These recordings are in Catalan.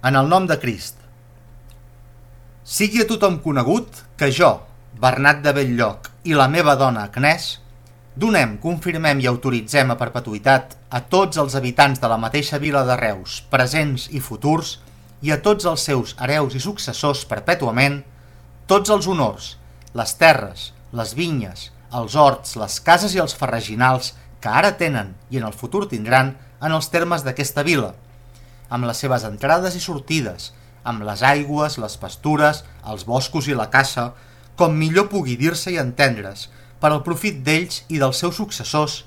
En el nom de Crist. Sigui a tothom conegut que jo, Bernat de Bell-lloc, i la meva dona Agnès, donem, confirmem i autoritzem a perpetuïtat a tots els habitants de la mateixa vila de Reus, presents i futurs, i a tots els seus hereus i successors perpètuament, tots els honors, les terres, les vinyes, els horts, les cases i els farreginals que ara tenen i en el futur tindran en els termes d'aquesta vila, amb les seves entrades i sortides, amb les aigües, les pastures, els boscos i la caça, com millor pugui dir-se i entendre's, per al profit d'ells i dels seus successors,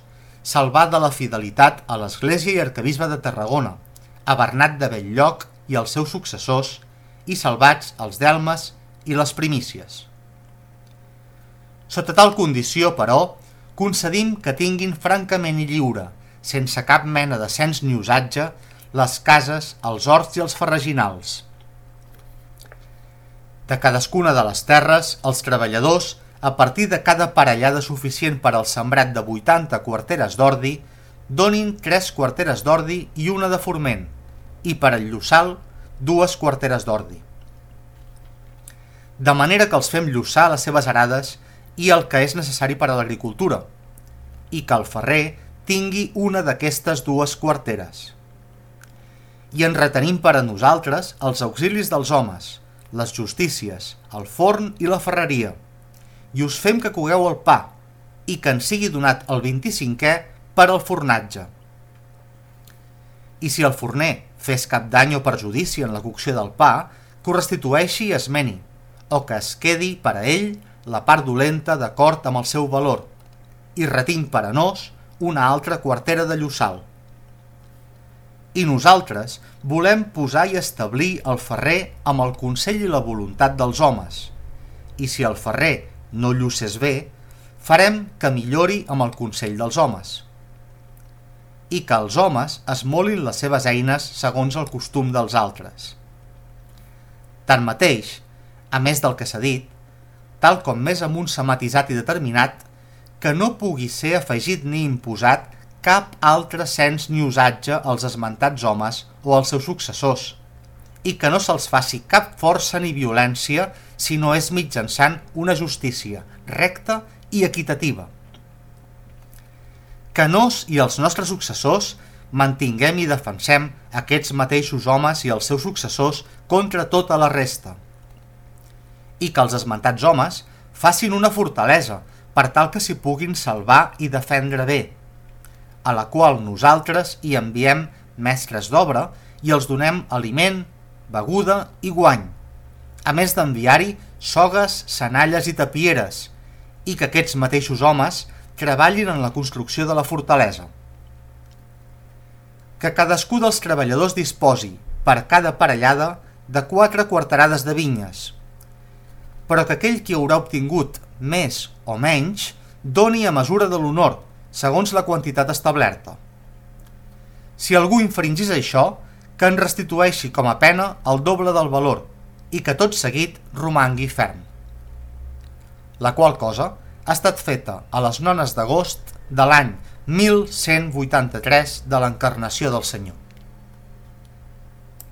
salvat de la fidelitat a l'Església i Arquebisbe de Tarragona, a Bernat de Bell-lloc i als seus successors, i salvats els delmes i les primícies. Sota tal condició, però, concedim que tinguin francament i lliure, sense cap mena de cens ni usatge, les cases, els horts i els farreginals. De cadascuna de les terres, els treballadors, a partir de cada parellada suficient per al sembrat de 80 quarteres d'ordi, donin 3 quarteres d'ordi i una de forment, i per al llossal, 2 quarteres d'ordi. De manera que els fem llossar les seves arades i el que és necessari per a l'agricultura, i que el ferrer tingui una d'aquestes 2 quarteres. I en retenim per a nosaltres els auxilis dels homes, les justícies, el forn i la ferreria, i us fem que cogueu el pa, i que en sigui donat el 25è per al fornatge. I si el forner fes cap dany o perjudici en la cocció del pa, que ho restitueixi i es meni, o que es quedi per a ell la part dolenta d'acord amb el seu valor, i retinc per a nos una altra quartera de llossal. I nosaltres volem posar i establir el ferrer amb el consell i la voluntat dels homes, i si el ferrer no llossés bé, farem que millori amb el consell dels homes, i que els homes esmolin les seves eines segons el costum dels altres. Tanmateix, a més del que s'ha dit, tal com més amunt s'ha matisat i determinat, que no pugui ser afegit ni imposat cap altre cens ni usatge als esmentats homes o als seus successors, i que no se'ls faci cap força ni violència si no és mitjançant una justícia recta i equitativa. Que nos i els nostres successors mantinguem i defensem aquests mateixos homes i els seus successors contra tota la resta, i que els esmentats homes facin una fortalesa per tal que s'hi puguin salvar i defendre bé, a la qual nosaltres hi enviem mestres d'obra i els donem aliment, beguda i guany, a més d'enviar-hi sogues, senalles i tapieres, i que aquests mateixos homes treballin en la construcció de la fortalesa. Que cadascú dels treballadors disposi, per cada parellada, de 4 quarterades de vinyes, però que aquell qui haurà obtingut més o menys doni a mesura de l'honor, segons la quantitat establerta. Si algú infringís això, que en restitueixi com a pena el doble del valor i que tot seguit romangui ferm. La qual cosa ha estat feta a les 9 d'agost de l'any 1183 de l'Encarnació del Senyor.